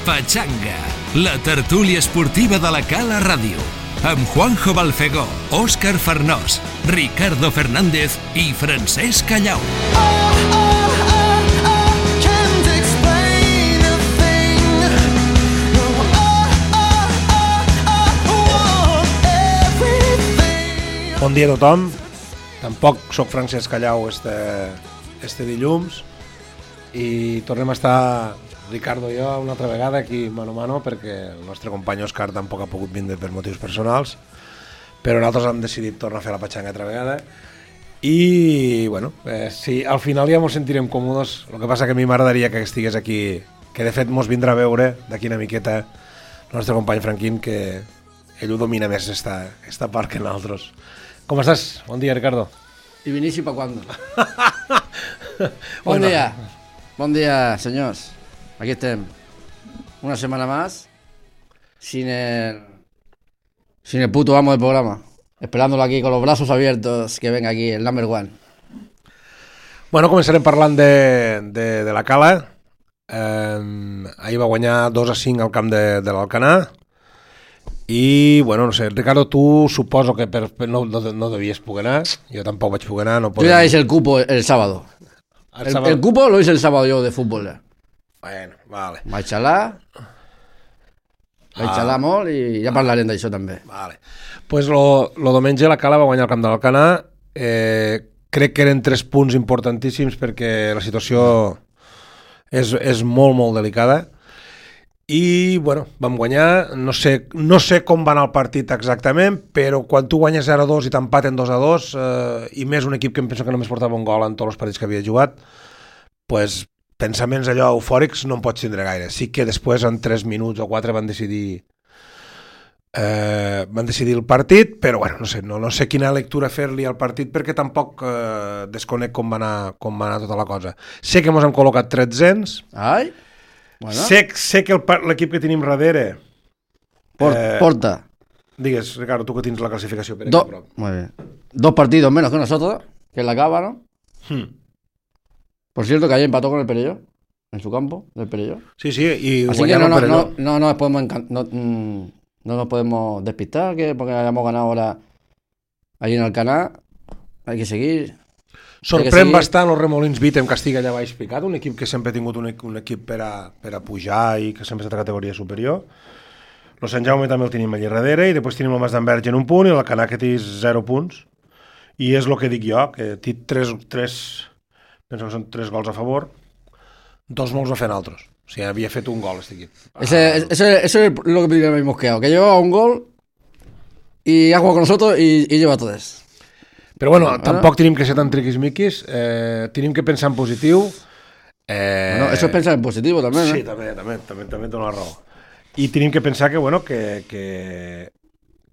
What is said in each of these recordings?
Pachanga, la tertúlia esportiva de la Cala Ràdio, amb Juanjo Balfegó, Òscar Farnós, Ricardo Fernández i Francesc Callau. Bon dia a tothom. Tampoc soc Francesc Callau este dilluns i tornem a estar Ricardo i jo una altra vegada aquí mano a mano perquè el nostre company Òscar tampoc ha pogut vindre per motius personals, però nosaltres hem decidit tornar a fer la patxanga altra vegada i bueno, sí, al final ja ens sentirem còmodes. El que passa que a mi m'agradaria que estigués aquí, que de fet mos vindrà a veure d'aquí una miqueta el nostre company Franquín, que ell ho domina més esta part que nosaltres. Com estàs? Bon dia, Ricardo. ¿Y Vinicius para cuándo? Buen día, señores. Aquí estén. Una semana más sin el puto amo del programa. Esperándolo aquí con los brazos abiertos que venga aquí el number one. Bueno, començarem parlant de la Cala. Ahir va guanyar 2-5 al camp de l'Alcanar. I, bueno, no sé, Ricardo, tu suposo que no devies poder anar, jo tampoc vaig poder anar. Yo ya hice el cupo el sábado. El cupo lo hice el sábado yo de fútbol. Bueno, vale. Vaig xalar molt i ja parlarem d'això també. Vale. Pues lo diumenge la Cala va guanyar el camp de l'Alcanar. Crec que eren 3 punts importantíssims perquè la situació és molt, molt delicada. I, bueno, vam guanyar, no sé com va anar el partit exactament, però quan tu guanyes 0-2 i t'empaten 2-2, i més un equip que em penso que només portava un gol en tots els partits que havia jugat, pues, pensaments allò eufòrics no en pots tindre gaire. Sí que després, en 3 minuts o 4, van decidir el partit, però, bueno, no sé quina lectura fer-li al partit perquè tampoc desconec com va anar tota la cosa. Sé que ens hem col·locat 300. Ai! Bueno. Sé que l'equip que tenim darrere porta. Digues, Ricardo, tu que tens la clasificació per aquí prop. Muy bien. 2 partidos menos que nosotros, que es la Cava, ¿no? Por cierto, que ayer empató con el Perelló, en su campo, del Perelló. Sí, y así que no nos podemos despistar, que porque hayamos ganado ahora allí en Alcanar, hay que seguir. Sorprèn bastant el Remolins Beat en Castilla, ja vaig explicat, un equip que sempre ha tingut un equip per a pujar i que sempre ha estat a categoria superior. El Sant Jaume també el tenim allà darrere i després tenim el Mas d'Enverge en un punt i el Canà que té 0 punts. I és el que dic jo, que té 3 penso que són 3 gols a favor, 2 no els va fer altres. O sigui, havia fet un gol este equip. Eso es lo que me hemos quedado, que llevaba un gol y ha jugado con nosotros y lleva 3. Però bueno, tampoc tenim que ser tan triquismiquis, tenim que pensar en positiu. Bueno, eso es pensar en positivo también, Sí, també té una raó. I tenim que pensar que, bueno, que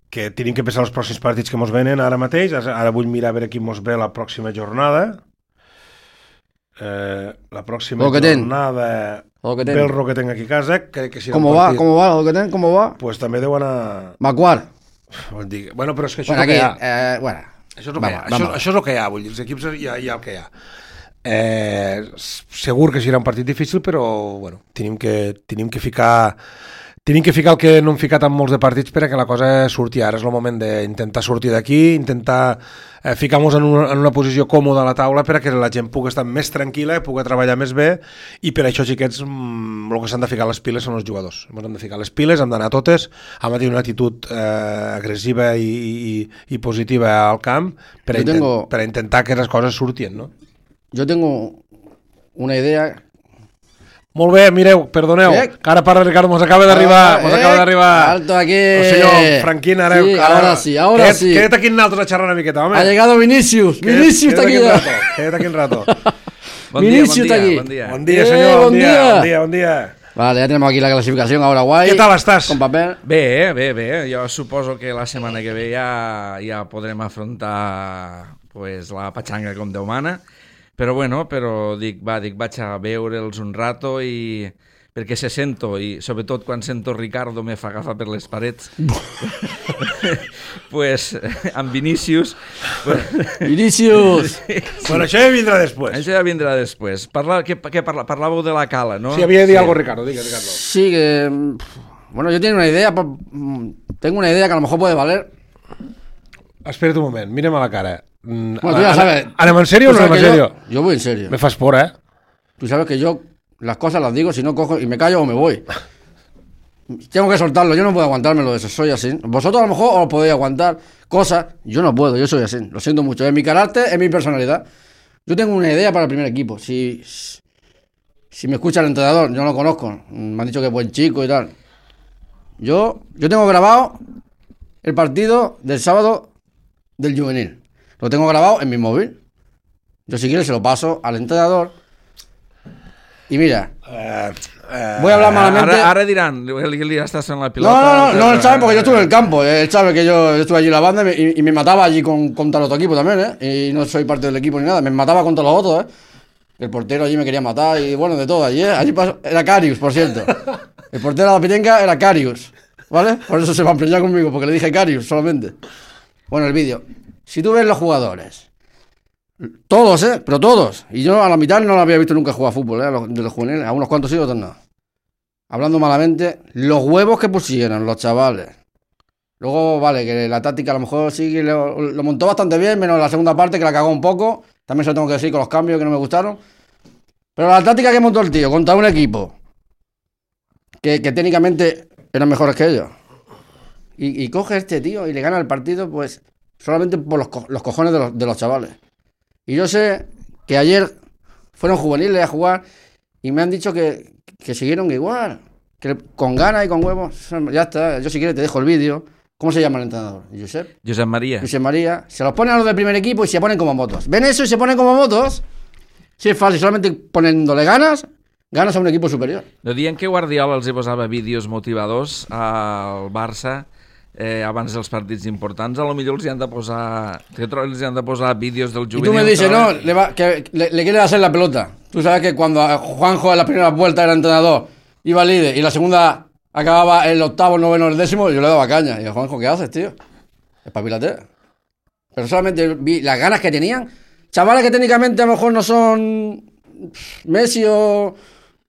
tenim que pensar els pròxims partits que ens venen ara mateix. Ara vull mirar a veure qui ens ve la pròxima jornada. La pròxima jornada ve el Roquetenc aquí a casa. ¿Cómo va el Roquetenc? ¿Cómo va? Pues també deu anar... Macuar. Bueno, però és que això és el que hi ha. Bueno. Això és el que hi ha, vull dir, els equips hi ha el que hi ha. Segur que serà un partit difícil, però bueno, tenim que ficar el que no hem ficat en molts de partits perquè la cosa surti. Ara és el moment d'intentar sortir d'aquí, intentar ficar-nos en una posició còmoda a la taula perquè la gent pugui estar més tranquil·la, pugui treballar més bé, i per això, xiquets, el que s'han de ficar les piles són els jugadors. Ens hem de ficar les piles, hem d'anar totes, hem de tenir una actitud agressiva i positiva al camp per a intentar que les coses surtin, no? Jo tengo una idea. Molt bé, mireu, perdoneu, que ara parla Ricardo, mos acaba d'arribar. Alto aquí. El senyor Franquín, ara... Sí, ahora sí. Queda't aquí en nosaltres a xerrar una miqueta, home. Ha llegado Vinicius. Vinicius está aquí ya. Queda't aquí un rato. Vinicius está aquí. Bon dia, senyor, bon dia. Vale, ya tenemos aquí la clasificación, ahora guay. ¿Qué tal estás? Con papel. Bé. Jo suposo que la setmana que ve ja podrem afrontar pues, la patxanga com Déu mana. Però bueno, dic, vaig a veure'ls un rato i perquè se sento, i sobretot quan sento Ricardo me fa agafar per les parets, pues, amb Vinícius... Vinícius! Bueno, això ja vindrà després. Això ja vindrà després. Parlàveu de la cala, no? Sí, havia de dir algo, Ricardo. Digue, Ricardo. Sí, que... Bueno, yo tengo una idea, tengo una idea que a lo mejor puede valer. Espera't un moment, mira'm a la cara. Bueno, tú ya sabes. ¿Anem en serio o no anem en serio? Yo voy en serio. Me fas por, Tú sabes que yo las cosas las digo, si no cojo y me callo o me voy. Tengo que soltarlo, yo no puedo aguantármelo de eso, soy así. Vosotros a lo mejor os podéis aguantar cosas, yo no puedo, yo soy así, lo siento mucho. Es mi carácter, es mi personalidad. Yo tengo una idea para el primer equipo. Si me escucha el entrenador, yo no lo conozco, me han dicho que es buen chico y tal. Yo tengo grabado el partido del sábado del juvenil. Lo tengo grabado en mi móvil. Yo si quieres se lo paso al entrenador. Y mira, voy a hablar malamente. Ara diran, li estàs en la pilota. No, él sabe porque yo estuve en el campo. Él sabe que yo estuve allí en la banda y me mataba allí contra el otro equipo también, Y no soy parte del equipo ni nada. Me mataba contra los otros, El portero allí me quería matar y bueno, de todo allí, Allí pasó, era Carius, por cierto. El portero de la Pitenca era Carius, ¿vale? Por eso se va a empreñar conmigo, porque le dije Carius solamente. Bueno, el vídeo. Si tú ves los jugadores, todos, pero todos. Y yo a la mitad no lo había visto nunca jugar a fútbol, de los juveniles. A unos cuantos sí, otros no. Hablando malamente, los huevos que pusieron los chavales. Luego, vale, que la táctica a lo mejor sí lo montó bastante bien, menos la segunda parte que la cagó un poco. También se lo tengo que decir con los cambios que no me gustaron. Pero la táctica que montó el tío contra un equipo que técnicamente eran mejores que ellos. Y coge este tío y le gana el partido, pues, solamente por los cojones de los chavales. Y yo sé que ayer fueron juveniles a jugar y me han dicho que siguieron igual, que con ganas y con huevos. Ya está, yo si quieres te dejo el vídeo. ¿Cómo se llama el entrenador? Josep María. Josep María. Se los ponen a los del primer equipo y se ponen como motos. ¿Ven eso y se ponen como motos? Sí, es fácil, solamente poniéndole ganas a un equipo superior. No dient que Guardiola els hi posava vídeos motivadors al Barça abans dels partits importants, a lo millor els hi han de posar vídeos del juvenil. Y tú me dices, no, que le quiere hacer la pelota. Tú sabes que cuando Juanjo en la primera vuelta era entrenador, iba líder, y la segunda acababa el octavo, el noveno, el décimo, yo le daba caña. Y yo, Juanjo, ¿qué haces, tío? Espabilate. Pero solamente vi las ganas que tenían. Chavales que técnicamente a lo mejor no son Messi o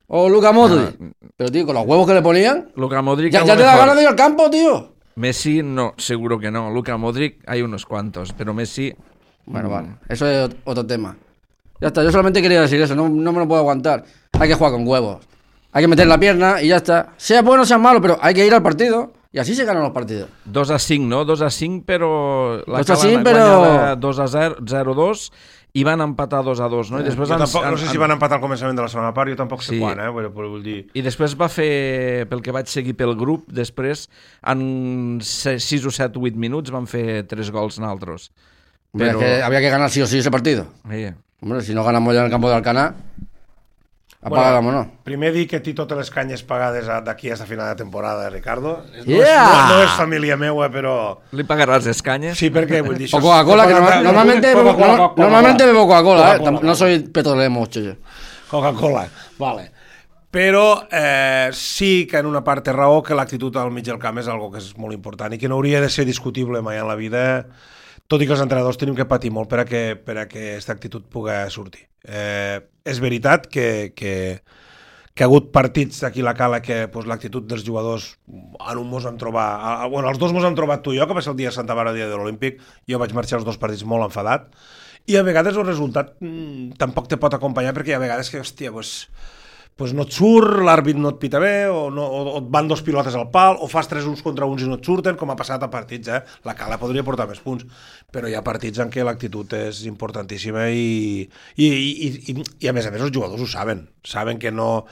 Luka Modric. Pero, tío, con los huevos que le ponían. Luka Modric ya te da ganas de ir al campo, tío. Messi no, seguro que no. Luka Modric hay unos cuantos, pero Messi... Bueno, vale, eso es otro tema. Ya está, yo solamente quería decir eso, no me lo puedo aguantar. Hay que jugar con huevos. Hay que meter la pierna y ya está. Sea bueno o sea malo, pero hay que ir al partido. Y así se ganan los partidos. 2-5, no? 2-5, però... La 2-5, però... 2-0, 0-2, i van empatar 2-2, no? I després no sé si van empatar al començament de la segona part, jo tampoc sé quan, vull dir... I després va fer, pel que vaig seguir pel grup, després, en 6 o 7 o 8 minuts, van fer 3 gols naltros. Pero... Es que había que ganar sí o sí ese partido. Hombre, si no ganamos ya en el campo de Alcanar... Apagámonos. Primer dir que té totes les canyes pagades d'aquí a esta final de temporada, Ricardo. Yeah! No és família meua, però... Li pagaràs les canyes? Sí, perquè vull dir... O Coca-Cola, que normalmente bebo Coca-Cola, no soy petrolero mucho yo. Coca-Cola, vale. Però sí que en una part té raó que l'actitud al mig del camp és algo que és molt important i que no hauria de ser discutible mai en la vida, tot i que els entrenadors tenim que patir molt per a que aquesta actitud pugui sortir. És veritat que ha hagut partits d'aquí a la Cala que l'actitud dels jugadors en un mos han trobat... Bueno, els dos mos han trobat tu i jo, que va ser el dia de Santa Bàrbara, el dia de l'Olímpic. Jo vaig marxar els dos partits molt enfadat. I a vegades el resultat tampoc te pot acompanyar perquè hi ha vegades que, hòstia, no et surt, l'àrbit no et pita bé, o et van dos pilotes al pal, o fas 3 uns contra uns i no et surten, com ha passat a partits, La Cala podria portar més punts, però hi ha partits en què l'actitud és importantíssima i a més els jugadors ho saben que no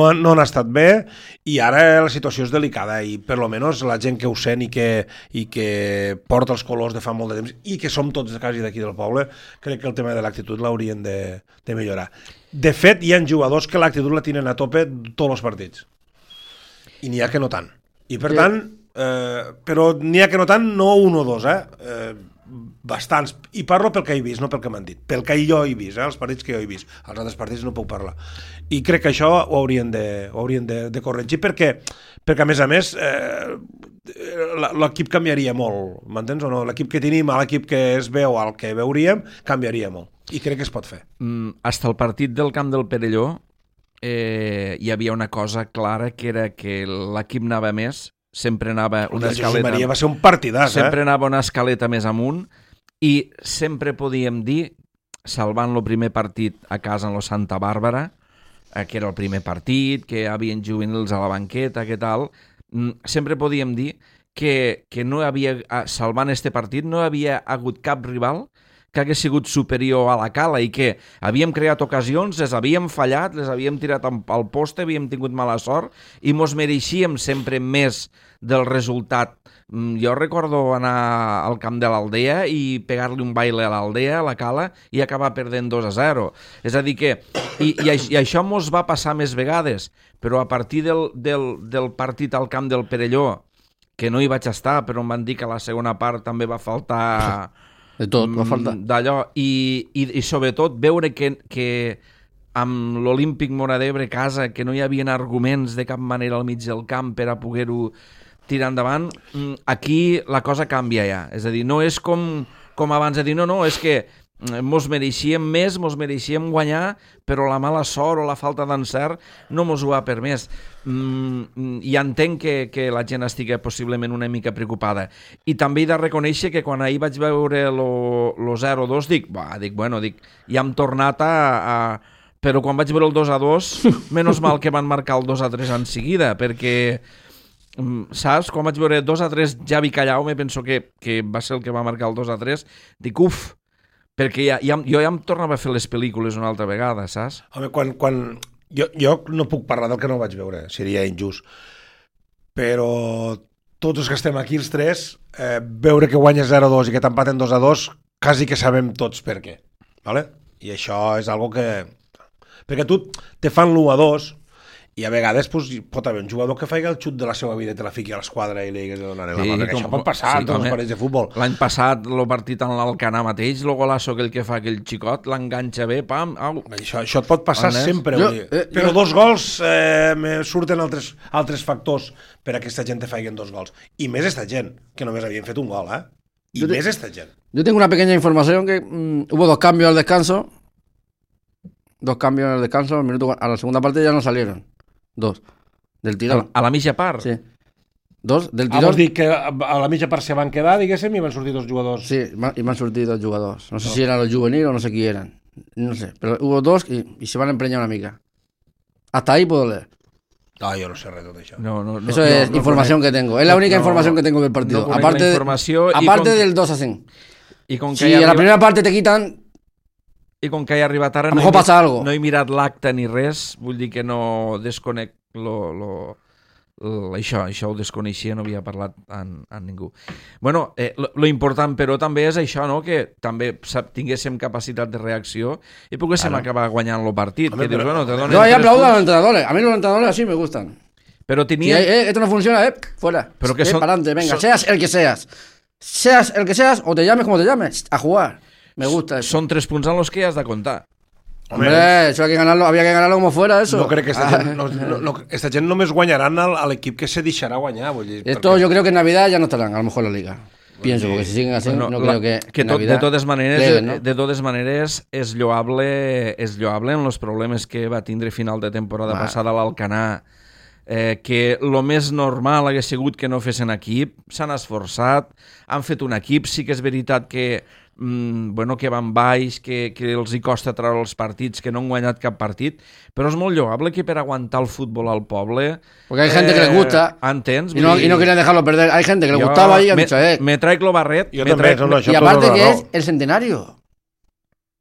han estat bé i ara la situació és delicada i per lo menos la gent que ho sent i que porta els colors de fa molt de temps i que som tots quasi d'aquí del poble, crec que el tema de l'actitud l'haurien de millorar. De fet, hi ha jugadors que l'actitud la tenen a tope tots els partits. I n'hi ha que no tant. I per tant, però n'hi ha que no tant, no un o dos, bastants, i parlo pel que he vist, no pel que m'han dit, pel que jo he vist, els partits que jo he vist, els altres partits no puc parlar, i crec que això ho haurien de corregir, perquè a més l'equip canviaria molt, m'entens o no? L'equip que tenim, l'equip que es veu, el que veuríem, canviaria molt, i crec que es pot fer. Hasta el partit del camp del Perelló hi havia una cosa clara, que era que l'equip anava més, sempre anava una escaleta... Maria va ser un partidàs, sempre anava una escaleta més amunt, i sempre podíem dir, salvant el primer partit a casa en lo Santa Bàrbara, que era el primer partit, que hi havia juvenils a la banqueta, que tal, sempre podíem dir que no havia, salvant este partit, no havia hagut cap rival que hagués sigut superior a la Cala i que havíem creat ocasions, les havíem fallat, les havíem tirat al poste, havíem tingut mala sort i mos mereixíem sempre més del resultat. Jo recordo anar al camp de l'Aldea i pegar-li un baile a l'Aldea, a la Cala, i acabar perdent 2-0. És a dir que... I això mos va passar més vegades, però a partir del partit al camp del Perelló, que no hi vaig estar, però em van dir que a la segona part també va faltar... De tot, va faltar. D'allò, i sobretot veure que amb l'Olímpic Móra d'Ebre casa, que no hi havia arguments de cap manera al mig del camp per a poder-ho tirar endavant, aquí la cosa canvia ja. És a dir, no és com abans de dir, no, és que mos mereixíem més, mos mereixíem guanyar, però la mala sort o la falta d'encert no mos ho ha permès. I entenc que la gent estigui possiblement una mica preocupada. I també he de reconèixer que quan ahir vaig veure lo 0-2 dic, ja hem tornat a... Però quan vaig veure el 2-2, menys mal que van marcar el 2-3 en seguida, perquè... saps? Quan vaig veure 2-3 Javi Callau, me penso que va ser el que va marcar el 2-3, dic, perquè jo ja em tornava a fer les pel·lícules una altra vegada, saps? Home, quan jo no puc parlar del que no vaig veure, seria injust, però tots els que estem aquí, els tres, veure que guanyes 0-2 i que t'empaten 2-2, quasi que sabem tots per què, ¿vale? I això és algo que... Perquè tu te fan l'1-2 i a vegades pot haver un jugador que faci el xut de la seva vida i te la fiqui a l'esquadra i li digues de donar la mà, perquè això pot passar en tots els partits de futbol. L'any passat, el partit en l'Alcanar mateix, el golaço que fa aquell xicot, l'enganxa bé, pam, au. Això et pot passar sempre, però 2 gols me surten altres factors per a que aquesta gent te faci 2 gols. I més esta gent, que només havien fet un gol, I més esta gent. Yo tengo una pequeña información que hubo 2 cambios al descanso. 2 cambios al descanso, a la segunda parte ya no salieron. 2. Del tirón. A la mitja part? Sí. 2 del tirón. Vols dir que a la mitja part se van quedar, diguéssim, i van sortir 2 jugadors? Sí, y me han sortido 2 jugadores. No sé si eran los juveniles o no sé quién eran. No sé, pero hubo 2 y se van a empreñar una mica. Hasta ahí puedo leer. No, yo no sé res de tot això. Eso es información que tengo. Es la única información que tengo del partido. Aparte del 2-5. Si en la primera parte te quitan... I com que he arribat ara no he mirat l'acte ni res, vull dir que no desconec això ho desconeixia, no havia parlat amb ningú. Bueno, lo important però també és això, no? Que també tinguéssim capacitat de reacció i poguéssim acabar guanyant el partit. Que dius, bueno, te donen... Yo ahí aplaudo a los entrenadores. A mí los entrenadores así me gustan. Pero tenía... Si esto no funciona, fuera. Pero que son... para adelante, venga, seas el que seas. Seas el que seas o te llames como te llames, a jugar. Me gusta eso. Son 3 punts en los que has de contar. Hombre, eso había que ganarlo como fuera, eso. No crec que esta gent només guanyaran a l'equip que se deixarà guanyar. Vull dir, esto yo creo que en Navidad ya no estarán, a lo mejor la Liga. Pienso, porque si siguen así, no creo que en Navidad... De totes maneres, és lloable en els problemes que va tindre final de temporada passada a l'Alcanar, que el més normal hagués sigut que no fessin equip, s'han esforçat, han fet un equip, sí que és veritat que que van baix, que els hi costa treure els partits, que no han guanyat cap partit, però és molt lloable que per aguantar el futbol al poble... Porque hay gente que les gusta ¿entens? Y no querían dejarlo perder. Hay gente que le gustaba y han dicho, me traic lo barret. Y aparte que es el centenario.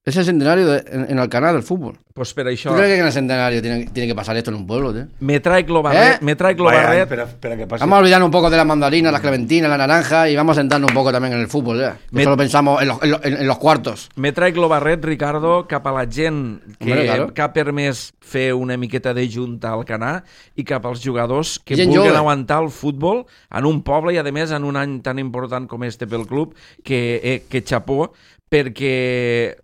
Es el centenario en Alcanar del fútbol. Pues per això... ¿Tú crees que en el centenario tiene que pasar esto en un pueblo, tío? Me traigo Barret, Espera que pase. Vamos a olvidarnos un poco de las mandarinas, las clementinas, la naranja y vamos a sentarnos un poco también en el fútbol, ya. Solo pensamos en los cuartos. Me traigo Barret, Ricardo, cap a la gent Hombre, que ha permès fer una miqueta de junta al Canà i cap als jugadors que Gent vulguin jove. aguantar el futbol en un poble i, a més, en un any tan important com este pel club, que xapó, perquè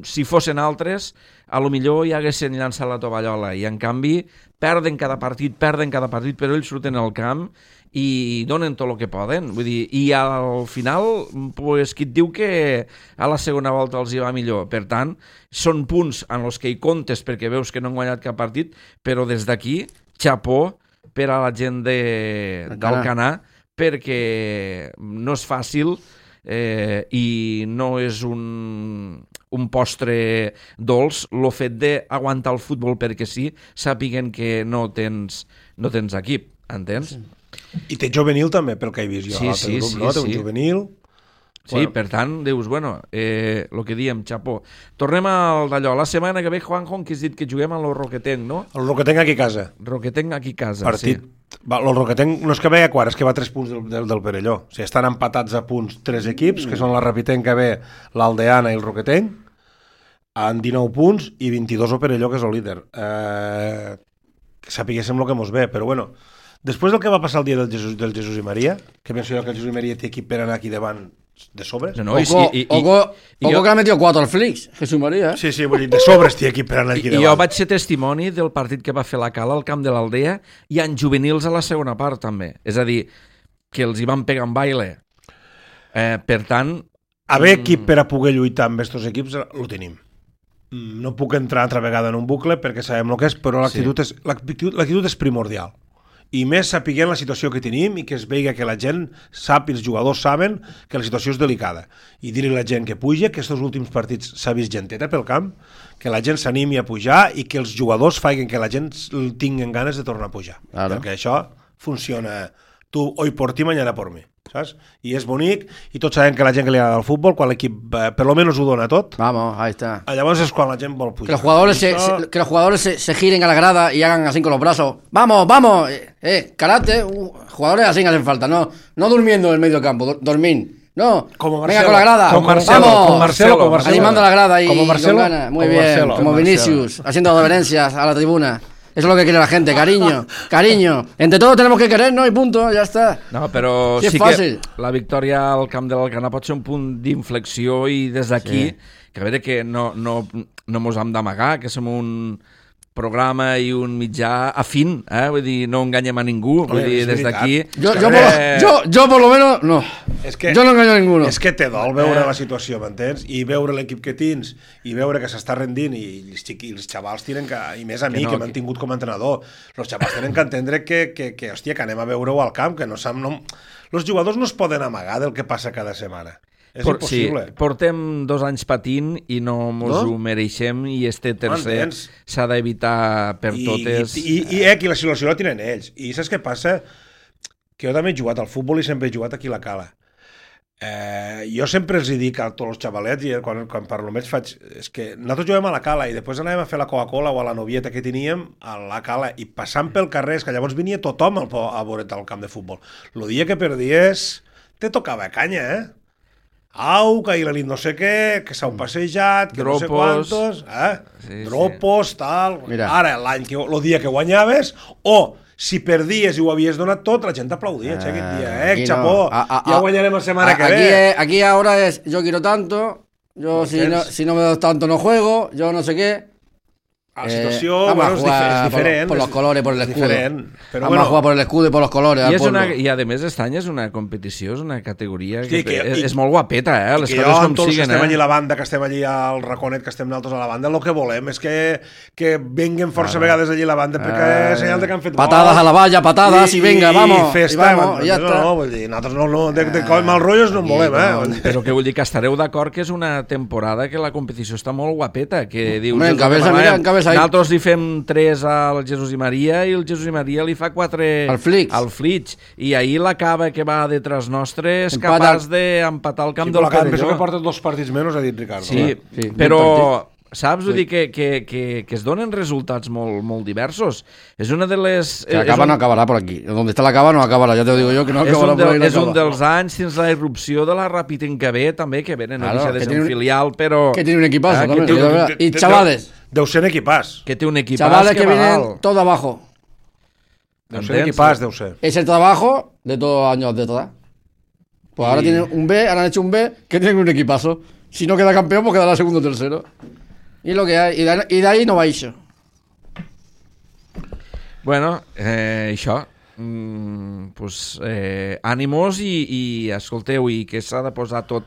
si fossin altres, a lo millor ja haguessin llançat la tovallola i en canvi perden cada partit, però ells surten al camp i donen tot el que poden. Vull dir, i al final, pues, qui et diu que a la segona volta els hi va millor? Per tant, són punts en els que hi comptes perquè veus que no han guanyat cap partit, però des d'aquí, xapó per a la gent d'Alcanar, perquè no és fàcil i no és un postre dolç el fet d'aguantar el futbol perquè sí, sàpiguen que no tens equip, entens? I té juvenil també, pel que he vist jo. Sí, grup, sí, no? Té sí. un juvenil. Sí, Bueno. per tant, dius, bueno, el que diem, xapó. Tornem al d'allò. La setmana que ve, Juanjo, que has dit que juguem a lo Roquetenc, no? El Roquetenc aquí a casa. Roquetenc aquí a casa, Partit. sí. Va, el Roquetenc no és que ve a quart, és que va a 3 punts del Perelló. O sigui, estan empatats a punts 3 equips, que són la Rapitenca B, l'Aldeana i el Roquetenc, en 19 punts, i 22 el Perelló, que és el líder. Que sapiguéssim el que mos ve, però bueno, després del que va passar el dia del Jesús i Maria, que penso jo que el Jesús i Maria té equip per anar aquí davant de sobres. No, Oco que ha metido 4 al Flix, Jesús María. Sí, vull dir, de sobres té equip per anar aquí I jo davant. vaig ser testimoni del partit que va fer la Cala al camp de l'Aldea i en juvenils a la segona part també. És a dir, que els hi van pegar en baile. Per tant... Haver equip per a poder lluitar amb aquests equips, ho tenim. No puc entrar altra vegada en un bucle perquè sabem el que és, però l'actitud és primordial. I més sapiguent la situació que tenim i que es veiga que la gent sap i els jugadors saben que la situació és delicada. I dir-li a la gent que puja, que aquests últims partits s'ha vist genteta pel camp, que la gent s'animi a pujar i que els jugadors facin que la gent tinguin ganes de tornar a pujar. Claro. Perquè això funciona. Tu hoy por ti, mañana por mi. ¿Sabes? I és bonic, i tots sabem que la gent que li agrada el futbol, quan l'equip per lo menos ho dona tot, Vamos, ahí está. llavors és quan la gent vol Que pujar. los jugadores se giren a la grada y hagan así con los brazos. ¡Vamos, vamos! Karate, jugadores así hacen falta. No durmiendo en el medio campo, dormir. No, Como venga Marcelo, con la grada. como Marcelo, vamos, como Marcelo. animando a la grada y Como Marcelo, con ganas. Muy como bien, Marcelo. como Vinicius, haciendo reverencias a la tribuna. Eso es lo que quiere la gente, cariño. Entre todos tenemos que querernos y punto, ya está. No, però Sí, és sí fàcil. que la victòria al camp de l'Alcanar pot ser un punt d'inflexió i des d'aquí, que a veure que no mos hem d'amagar, que som un programa i un mitjà afín, vull dir, no enganyem a ningú, vull dir, des d'aquí... Yo por lo menos, no. És que, Yo no engaño a ninguno. És que té dol veure la situació, m'entens? I veure l'equip que tens, i veure que s'està rendint, i els xavals tenen que... I més a mi, que m'han tingut com a entrenador. Els xavals tenen que entendre que hòstia, que anem a veure-ho al camp, que no sap... Els jugadors no es poden amagar del que passa cada setmana. És impossible. Sí, portem 2 anys patint i no mos ho mereixem i este tercer s'ha d'evitar per totes. I la situació la tenen ells. I saps què passa? Que jo també he jugat al futbol i sempre he jugat aquí a la Cala. Jo sempre els dic a tots els xavalets, i quan parlo amb ells faig, és que nosaltres juguem a la Cala i després anàvem a fer la Coca-Cola o a la novieta que teníem a la Cala i passant pel carrer, és que llavors venia tothom a veure't al camp de futbol. El dia que perdies te tocava canya, Au, que ahir la nit no sé què, que s'heu passejat, que Dropos. no sé quantos, Sí, dropos, tal... Mira. Ara, el dia que guanyaves, o si perdies i ho havies donat tot, la gent t'aplaudia, aquest dia, aquí xapó, no. ja guanyarem la setmana que ve. Aquí ahora es, yo quiero tanto, yo si no me das tanto no juego, yo no sé qué. La situació Vamos a és jugar diferent. por los colores, por el és escudo. diferent, però Vamos a jugar por el escudo y por los colores. I a més aquest any és una competició, és una categoria Sí, és molt guapeta, les que coses jo, com amb tots que siguen. estem allí a la banda, que estem allí al raconet, que estem nosaltres a la banda, el que volem és que venguen força vegades allí a la banda, perquè és senyal de que han fet patadas gols. a la valla, patadas y venga, vamos. Festa, y vamos, y ya está. No, vull dir, nosaltres de mal rotllos no en volem, Però que vull dir que estareu d'acord que és una temporada que la competició està molt guapeta, que dius... Hombre, encabeza Nosaltres li fem 3 al Jesús i Maria i el Jesús i Maria li fa 4 al Flix. I ahir la Cava que va detrás nostre és capaç d'empatar el camp del Perelló. Penso que porta 2 partits menys, ha dit Ricardo. Sí, però... Saps? Vull dir que es donen resultats molt diversos. És una de les... Que la Cava no acabarà per aquí. Donde está la Cava no acabarà, ja te ho digo jo, que no acabarà per aquí. És un dels anys fins la irrupció de la Rapitenca B, també, que venen a deixar de ser un filial, però... Que tiene un equipazo, també. Y chavales. Deu ser un equipàs. Que té un equipàs chavales que vienen todo abajo. Deu ser equipàs, deu ser. Es el trabajo de todos los años de atrás. Pues ahora tienen un B, ahora han hecho un B, que tienen un equipazo. Si no queda campeón, pues quedará segundo o tercero. Y lo que hay, y de ahí no va això. Bueno, això. Pues, ànimos i escolteu, i que s'ha de posar tot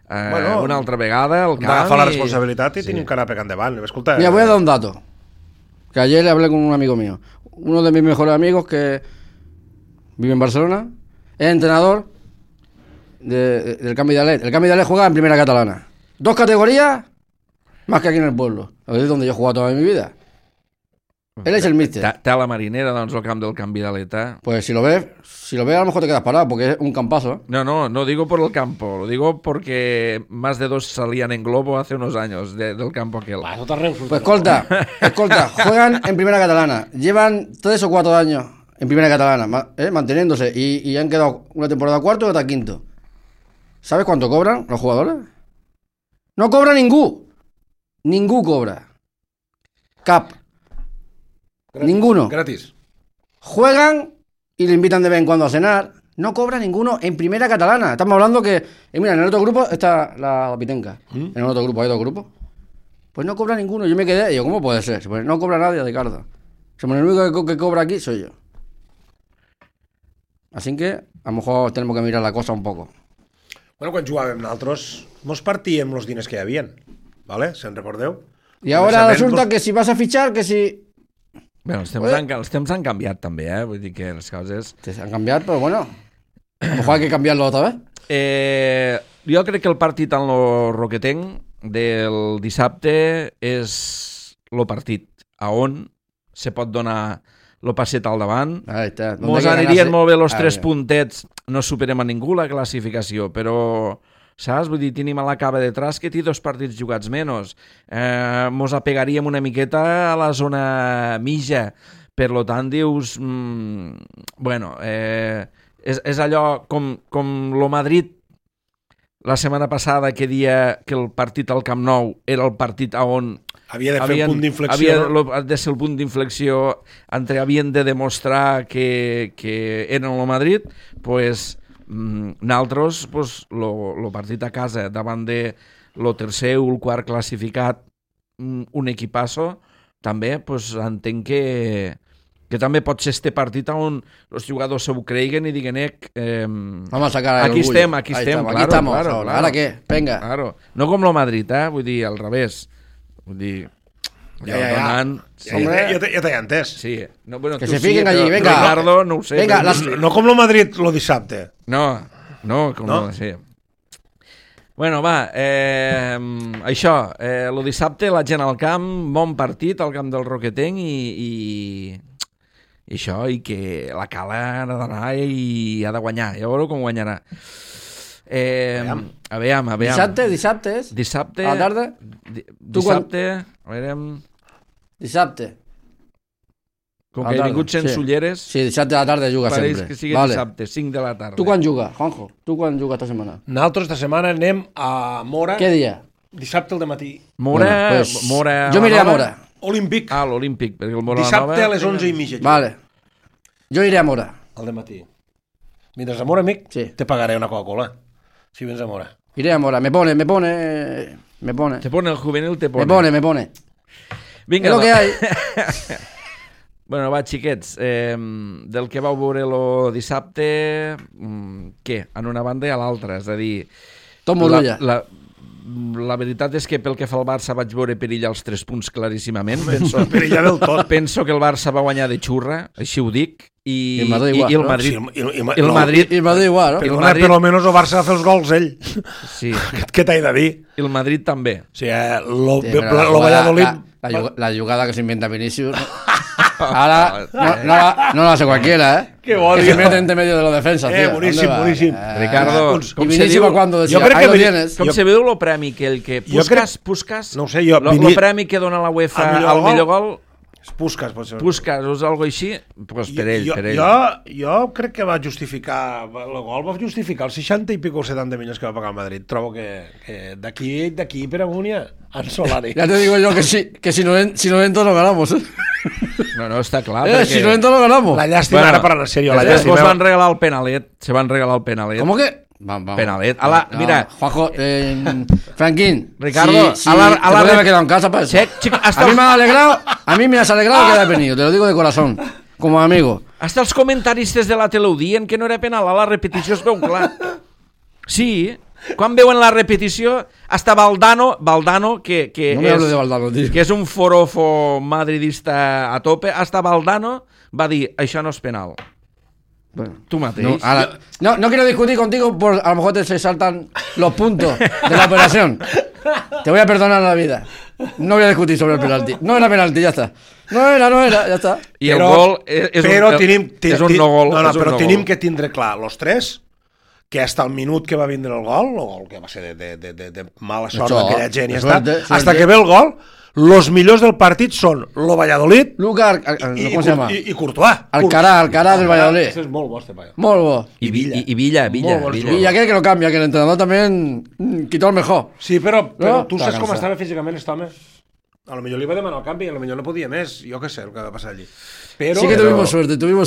una altra vegada al camp. Agafar la responsabilitat i tenim que anar pegant endavant. Escolta, mira, voy a dar un dato. Que ayer le hablé con un amigo mío. Uno de mis mejores amigos que vive en Barcelona. Es entrenador del Camp Vidalet. El Camp Vidalet juega en Primera Catalana. 2 categorías más que aquí en el pueblo. Es donde yo he jugado toda mi vida. Él es el míster. Té la marinera, doncs, el camp del Camp Vidaleta. Pues si lo ves a lo mejor te quedas parado, porque es un campazo. No digo por el campo, lo digo porque más de 2 salían en globo hace unos años del campo aquel. Pues escolta, juegan en Primera Catalana. Llevan 3 o 4 años en Primera Catalana, manteniéndose. Y han quedado una temporada cuarto y otra quinto. ¿Sabes cuánto cobran los jugadores? No cobra ningú. Ningú cobra. Cap. Gratis, ninguno. Gratis. Juegan y le invitan de vez en cuando a cenar. No cobra ninguno en Primera Catalana. Estamos hablando que... mira, en el otro grupo está la Pitenca. En el otro grupo hay 2 grupos. Pues no cobra ninguno. Yo me quedé y digo, ¿cómo puede ser? Pues no cobra nadie, Ricardo. El único que cobra aquí soy yo. Así que a lo mejor tenemos que mirar la cosa un poco. Bueno, quan jugàvem nosaltres, mos partíem els diners que hi havien. ¿Vale? ¿Se'n recordeu? Y ahora resulta que si vas a fichar, que si... Bueno, els temps han canviat també, vull dir que les coses... Han canviat, però bueno, a lo mejor hay que cambiarlo otra vez. Jo crec que el partit en lo Roquetenc del dissabte és el partit a on se pot donar el passet al davant. Mos anirien molt bé els 3 puntets, no superem a ningú la classificació, però... saps? Vull dir, tenim a la Cava detrás que té 2 partits jugats menys. Mos apegaríem una miqueta a la zona mitja. Per lo tant, dius... bueno, és allò com lo Madrid la setmana passada que dia que el partit al Camp Nou era el partit on... havia de fer el punt d'inflexió. Havia de ser el punt d'inflexió entre havien de demostrar que eren el Madrid, pues... nosaltres, pues, el partit a casa davant de el tercer o el quart classificat, un equipasso, també pues, entenc que també pot ser este partit on els jugadors se ho creiguen i diguen vamos a sacar el aquí orgullo. estem, claro, aquí estamos, claro. ¿Ahora qué? Venga. Claro. No com el Madrid, vull dir, al revés. Vull dir... Ja t'he entès. Sí. No, bueno, que se fiquen allí, venga. Ricardo, no ho sé. Venga, no com el Madrid lo dissabte. No, com no? Sí. Bueno, va, això, el dissabte la gent al camp, bon partit al camp del Roquetenc i això, i que la Cala ha d'anar i ha de guanyar, ja veureu com guanyarà. Aviam. Dissabte és? Dissabte. A la tarda? Dissabte, a veure... Dissabte. Com que he vingut sense ulleres... Sí, dissabte a la tarda juga sempre. Pareix que sigui dissabte, 5 de la tarda. Tu quan juga, Juanjo? Tu quan juga esta setmana? Nosaltres esta setmana anem a Mora. Què dia? Dissabte al dematí. Mora... Jo m'iré a Mora. Olímpic. L'Olímpic, perquè el Mora dissabte a les 11:30. Vale. Jo iré a Mora. Al dematí. Vindràs a Mora, amic? Sí. Te pagaré una Coca-Cola. Si vens a Mora. Iré a Mora. Me pone. Te pone el juvenil, te pone. Me pone. Vinga, és lo que hay. Bueno, va, xiquets, del que vau veure el dissabte, què? En una banda i a l'altra, és a dir... Tot Morulla. la veritat és que pel que fa al Barça vaig veure perillar els 3 punts claríssimament. Perillar del tot. Penso que el Barça va guanyar de xurra, així ho dic, i el Madrid igual, i el no? Madrid. Sí, el Madrid, I el Madrid igual, no? el Perdona, Madrid- però almenys el Barça va fer els gols ell. sí, Què t'he de dir? i el Madrid també. O sigui, Sí, però lo Valladolid... la jugada que se inventa Vinicius. Ahora no la hace cualquiera, ¿eh? Qué bonito. Que se mete entre medio de la defensa. tío. boníssim, ¿Dónde va? boníssim. Ricardo, y com se Vinicius diu- va cuando decía, jo crec ahí que lo Vini- tienes. Com se veu el premi que el que Jo crec- Puskas, No ho sé, jo... el premi que dona la UEFA al millor gol, Puskas, pot ser. Puskas o algo així, pues per ell, per ell. Jo crec que va justificar el gol, va justificar els 60 i pico 70 milions que va pagar el Madrid. Trobo que d'aquí per amunt ja en Solari. Ya te digo yo que si no entro no ganamos, ¿eh? No, està clar. Si no entro no ganamos. La llàstima, ara parlant en sèrio, la Després llàstima. van regalar el penalet, se van regalar el penalet. ¿Cómo que? Vamos. Penalet. No, Mira, Juanjo, Franquín. Ricardo, si a la te podía red- haber quedado en casa para eso. Chico, hasta A mí me has alegrado que haya venido, te lo digo de corazón, como amigo. Hasta els comentaristes de la tele ho dient que no era penal, a la repetició es veu clar. Sí, quan veuen la repetició, hasta Valdano que No me hables de Valdano, tío. que és un forofo madridista a tope, hasta Valdano va dir, això no és penal. Bueno, Tu mateix. no quiero discutir contigo, a lo mejor te se saltan los puntos de la operación. Te voy a perdonar la vida. No voy a discutir sobre el penalti. No era penalti, ya está. No era, ya está. I el gol és un no gol. No, és un però no tenim gol. que tindre clar, los tres, que hasta el minut que va vindre el gol que va ser de mala sort Això, d'aquella gent, i de està, suerte. hasta que ve el gol, los millors del partit són lo Valladolid Lucas, ¿cómo se llama? i Courtois. Alcará del Valladolid. Això és molt bo, este paio. Molt bo. I Villa. Y aquel que lo cambia, que el entrenador también quitó el mejor. Sí, però No? tu saps Està com cansat. estava físicament aquest home? A lo millor li va demanar el canvi i a lo millor no podia més. Jo què sé el que va passar allí. Però, Sí que tuvimos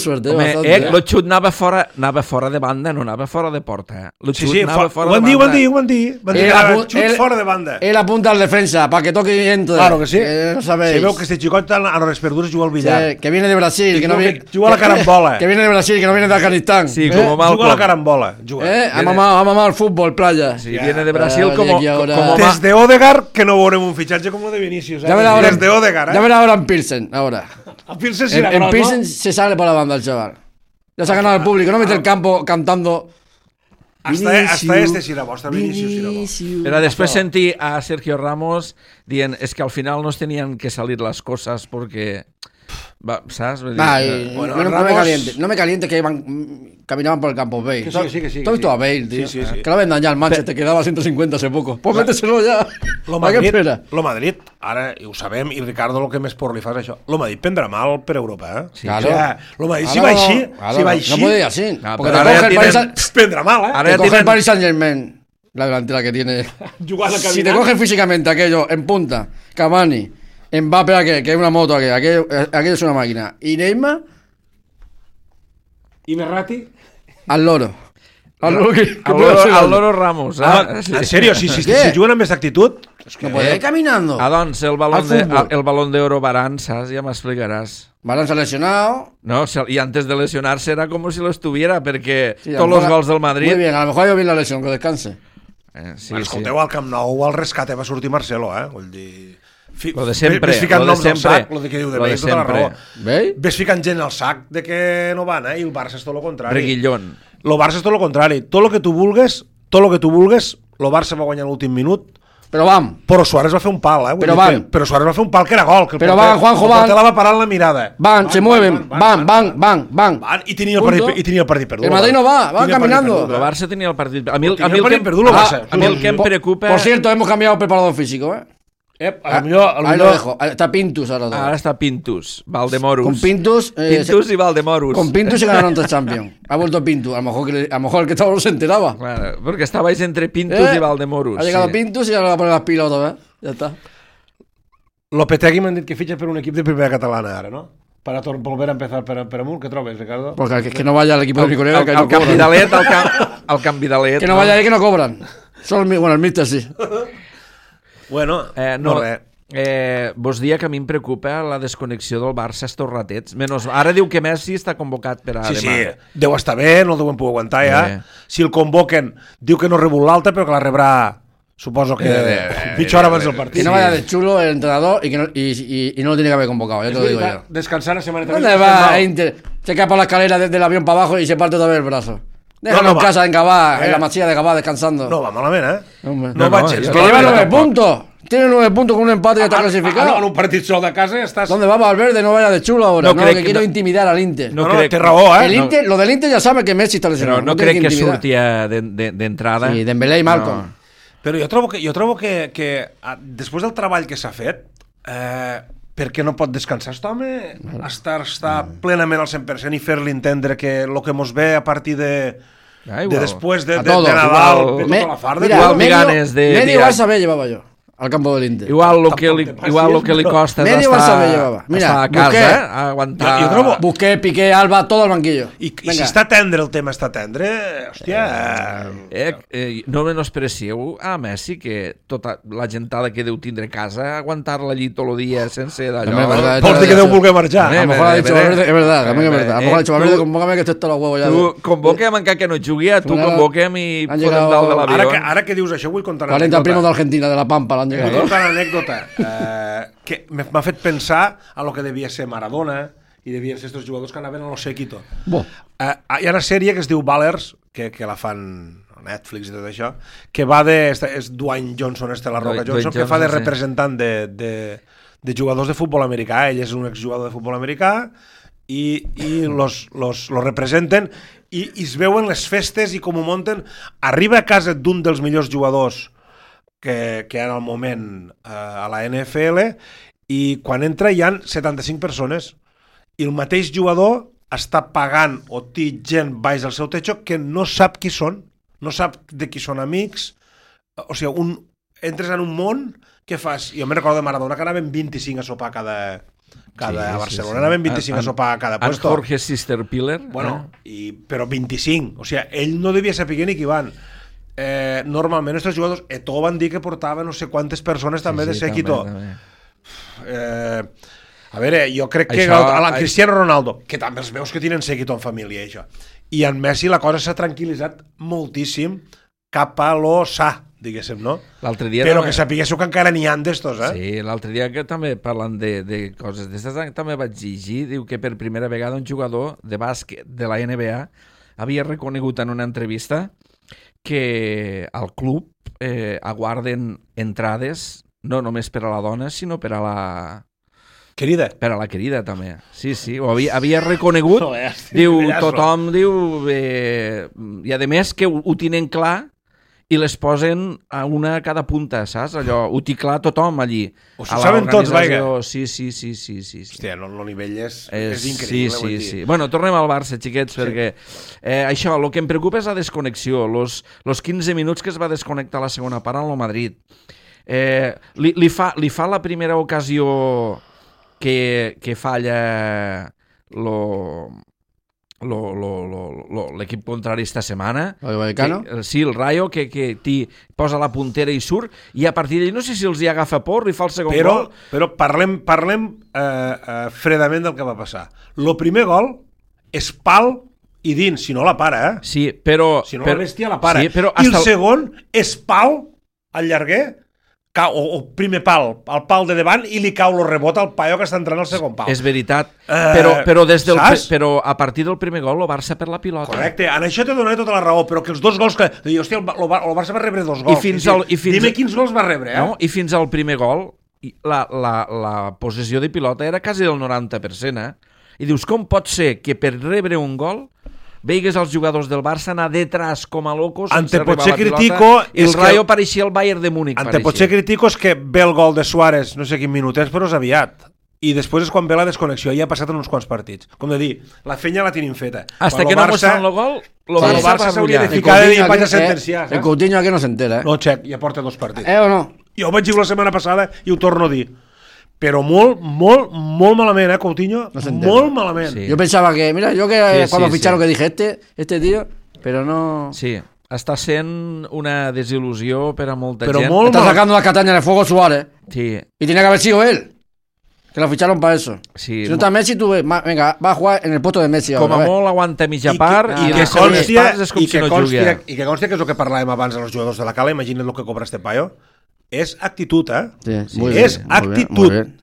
suerte. Home, bastante, ¿eh? lo xut anava fora de banda, no anava fora de porta. Lo Sí, xut sí, anava fora ho van de dir, banda. ho van dir. Van dir que era xut fora de banda. Él apunta al defensa para que toque y entre. Claro que sí. No sabéis. Si veu que este xicot a les verdures juga al billar. Sí, que viene de Brasil, que no viene. Juga a la carambola. Que viene de Brasil, que no viene de Afganistán. Sí, como Juga a la Malcolm. carambola. Juga. Ha mamado el fútbol, playa. Sí, viene de Brasil Oye, como que ahora- Des de Odegaard, que no veurem un fitxatge com el de Vinicius. Ya verá ahora. Des de Odegaard, Ya verá ahora en Pilsen, ahora. A Pilsen sí En era gros, Pilsen no? se sale por la banda el chaval. Ya se ha ganado el público, no mete el campo cantando. Hasta este sí era bo, hasta Vinicius sí era bo. Però després sentir a Sergio Ramos dient es que al final nos tenían que salir las cosas porque... Va, ¿sabes? Vull dir, Ay, Bueno, no me Ramos- caliente. No me caliente que caminaban por el campo Bale. Que sí, que sí. ¿Tú has visto a Bale, tío? Sí, sí, sí. Que lo vendan ya al Manchester, que daba 150 hace poco. Pues méteselo ya. Lo ¿Para qué Madrid, espera? lo Madrid, ara ho sabem, i Ricardo el que més por li fa és això. Lo Madrid prendrà mal per Europa, eh? Sí, claro. O sea, lo Madrid, si Claro, va així, claro, si va no així, puede ir así. No, Porque pero te ahora coge el ya Paris tienen- prendrà mal, eh? Ara te ja coge el tienen- Paris Saint-Germain, la delantera que tiene. Jugant a Si te caminar. cogen físicamente aquello en punta, Cavani, Mbappé, que es una moto, aquello es una máquina, y Neymar, I Merrati? al loro. Al loro que al Loro Ramos. Ah, Sí. en sèrio, si Què? juguen amb aquesta actitud... És que No puede ir caminando. Ah, doncs, el Al fútbol. balón de oro Varane, saps? Ja m'explicaràs. Balón se ha lesionado. No, y antes de lesionarse era como si lo estuviera, porque Sí, a lo todos mejor los gols del Madrid... Muy bien, a lo mejor ha ido bien la lesión, que descanse. Sí, Escolteu, al Camp Nou al rescate va sortir Marcelo, eh? Vull dir... Lo de sempre, Ves ficant lo de noms al sempre. sac, lo de que diu de Lo de Bale, tota la sempre. raó. ¿Veis? Ves ficant gent al sac de que no van, I el Barça és tot el contrari. Reguillón. Lo Barça és tot el contrari. Tot lo que tu vulgues, lo Barça va guanyar l'últim minut, Pero van. però Suárez va fer un pal, Vull Però dir van. que- Però Suárez va fer un pal que era gol. Que el Però porter- van, Juanjo, el van. porter la va parar en la mirada. Se mueven. Van. I tenia el Punto. partit perdut. El Madrid no va Tenia el caminando. partit El perdut, Barça tenia el partit... A mi el Tenia el que partit perdut, el Barça. a mi el que em preocupa... Por cierto, hemos cambiado preparador físico, ¿eh? A lo millor... Ahí lo dejo. Está Pintus ahora. Ara està Pintus, Valdemorus. Con Pintus. Pintus y Valdemorus. Con Pintus se ganaron 3 Champions. Ha vuelto Pintus. A lo mejor el que estaba no se enteraba. Claro, porque estabais entre Pintus y Valdemorus. Ha llegado sí. Pintus y ahora va a poner las pilas otra vez. Ya está. Lopetegui m'han dit que fitxa per un equip de primera catalana, ara, no? Para volver a empezar per amunt, què trobes, Ricardo? Porque que no vaya al equipo de mi colega, que ahí no El Camp cobran. Vidalet, el Camp Vidalet. Que no vaya ahí, que no cobran. Solo el Mister sí. Bueno, No, res. vos dia que a mi em preocupa la desconnexió del Barça estos ratets. Ara diu que Messi està convocat per a Sí, demà. sí, deu estar bé, no el deuen poder aguantar ja. Bé. Si el convoquen, diu que no rebut l'alta, però que la rebrà Suposo que mitja hora abans del partit. Que no vaya de chulo el entrenador y no lo tiene que haber convocado, ya te lo digo yo. Descansar la semana ¿Dónde va Inter? Se cae por la escalera desde el avión para abajo y se parte todavía el brazo. Déjalo en casa, en Gabá, en la masilla de Gabá, descansando. No va malament, Hombre. No va Es que lleva 9 puntos. Tiene 9 puntos con un empate y está clasificado. En un partit sol de casa estàs... ¿Dónde va Valverde? No vaya de chulo ahora. No No, crec que que quiero no. intimidar al Inter. No, té raó, El Inter, lo del Inter ya sabe que Messi está lesionado. Però no tiene crec que intimidar. sortia d'entrada. Sí, Dembélé i Malcom. No. Però jo trobo que després del treball que s'ha fet, per què no pot descansar aquest home? Estar plenament al 100% i fer-li entendre que el que mos ve a partir de després de Nadal, de tota la farda. Igual ganes de... Medio Barça B llevaba yo al campo del Inter. Igual lo que li costa és Medio Barça B llevaba. Mira, estar a casa, aguantar... Jo trobo... Busqué, Piqué, Alba, todo al banquillo. I si està tendre el tema, està tendre, hòstia... No menosprecieu a Messi, que tota la gentada que deu tindre a casa, aguantar-la allí tot el dia sense d'allò... Vols dir que deu voler marxar? A lo mejor ha dicho Valverde, es verdad, también es verdad. A lo mejor ha dicho Valverde, convócame que estoy hasta los huevos ya. Tu convoquem encara que no jugui, tu convoquem i podem dalt de l'avió. Ara que dius això, vull contar una 40 primos d'Argentina, de la Pampa, l'han Vull llegado. contar una anècdota que m'ha fet pensar a lo que devia ser Maradona i devien ser estos jugadors que anaven a lo séquito. Hi ha una sèrie que es diu Ballers, que la fan a Netflix i tot això, que va de... és Dwayne Johnson, la Roca Johnson, que fa de representant de jugadors de futbol americà. Ell és un exjugador de futbol americà i los representen i es veuen les festes i com ho munten. Arriba a casa d'un dels millors jugadors que hi ha en el moment a la NFL i quan entra hi ha 75 persones i el mateix jugador està pagant o té gent baix del seu techo que no sap qui són, no sap de qui són amics, o sigui, entres en un món que fas... Jo me'n recordo de Maradona que anaven 25 a sopar a Barcelona, anaven 25 a sopar a cada puesto. En Jorge Sisterpiller. Bueno, però 25, o sigui, ell no devia saber ni qui van. Normalment aquests jugadors Eto'o van dir que portava no sé quantes persones també de séquito. A veure, jo crec que a Cristiano Ronaldo, que també els veus que tenen séquito en família, això, i en Messi la cosa s'ha tranquil·litzat moltíssim cap a lo sa, diguéssim, no? Però que sapiguéssiu que encara n'hi ha d'estos, Sí, l'altre dia que també parlant de coses d'estes, també vaig llegir, diu que per primera vegada un jugador de bàsquet de la NBA havia reconegut en una entrevista que al club aguarden entrades no només per a la dona, sinó per a la... Querida. Per a la querida, també. Sí, ho havia reconegut. Diu, tothom diu... I a més que ho tenen clar i les posen a una a cada punta, saps? Allò, ho té clar tothom allí. Ho saben tots, vaja. Sí. Hòstia, el nivell és increïble. Sí. Bueno, tornem al Barça, xiquets, perquè això, el que em preocupa és la desconnexió. Los 15 minuts que es va desconnectar a la segona part en el Madrid. Li fa la primera ocasió que falla l'equip contrari esta setmana. ¿El Vallecano? Sí, el Rayo, que posa la puntera i surt, i a partir d'allí no sé si els hi agafa por i fa el segon gol. Però parlem fredament del que va passar. El primer gol és pal i dins, si no la para, Sí, però... Si no la bèstia la para. Sí, però I el segon és pal al llarguer, o primer pal, al pal de davant, i li cau el rebot al paio que està entrant al segon pal. És veritat, però a partir del primer gol el Barça per la pilota. Correcte, en això t'he donat tota la raó, però que els dos gols que... Hòstia, el Barça va rebre 2 gols. Dime quins gols va rebre, No, i fins al primer gol la possessió de pilota era quasi del 90%, I dius, com pot ser que per rebre un gol veigues els jugadors del Barça anar detrás com a locos sense arribar a la pilota, i el Rayo pareixia el Bayern de Múnich. Potser critico és que ve el gol de Suárez, no sé quin minut és, però és aviat. I després és quan ve la desconnexió, ja ha passat en uns quants partits. Com de dir, la fenya la tenim feta. Hasta que no mostren el gol, el Barça s'hauria de ficar de dir, vaig a sentenciar. El Coutinho aquí no s'entera, No, xec, ja porta 2 partits. o no? Jo ho vaig dir la setmana passada i ho torno a dir. Pero molt malament, Coutinho, no molt malament. Sí. Yo pensaba que, mira, cuando ficharon que dije, este tío, pero no... Sí, està sent una desil·lusió per a molta però gent. Está sacando la castaña de fuego Suárez. Sí. Y tiene que haber sido él. Que lo ficharon para eso. Sí, si no está Messi, tú venga, va a jugar en el puesto de Messi. com ahora, a molt aguanta mitja part i i que les segones parts és com si no jugués. I que consti que és el que parlàvem abans dels jugadors de la Cala, imagina't el que cobra este paio, és actitud, Sí, és bien, actitud. muy bien.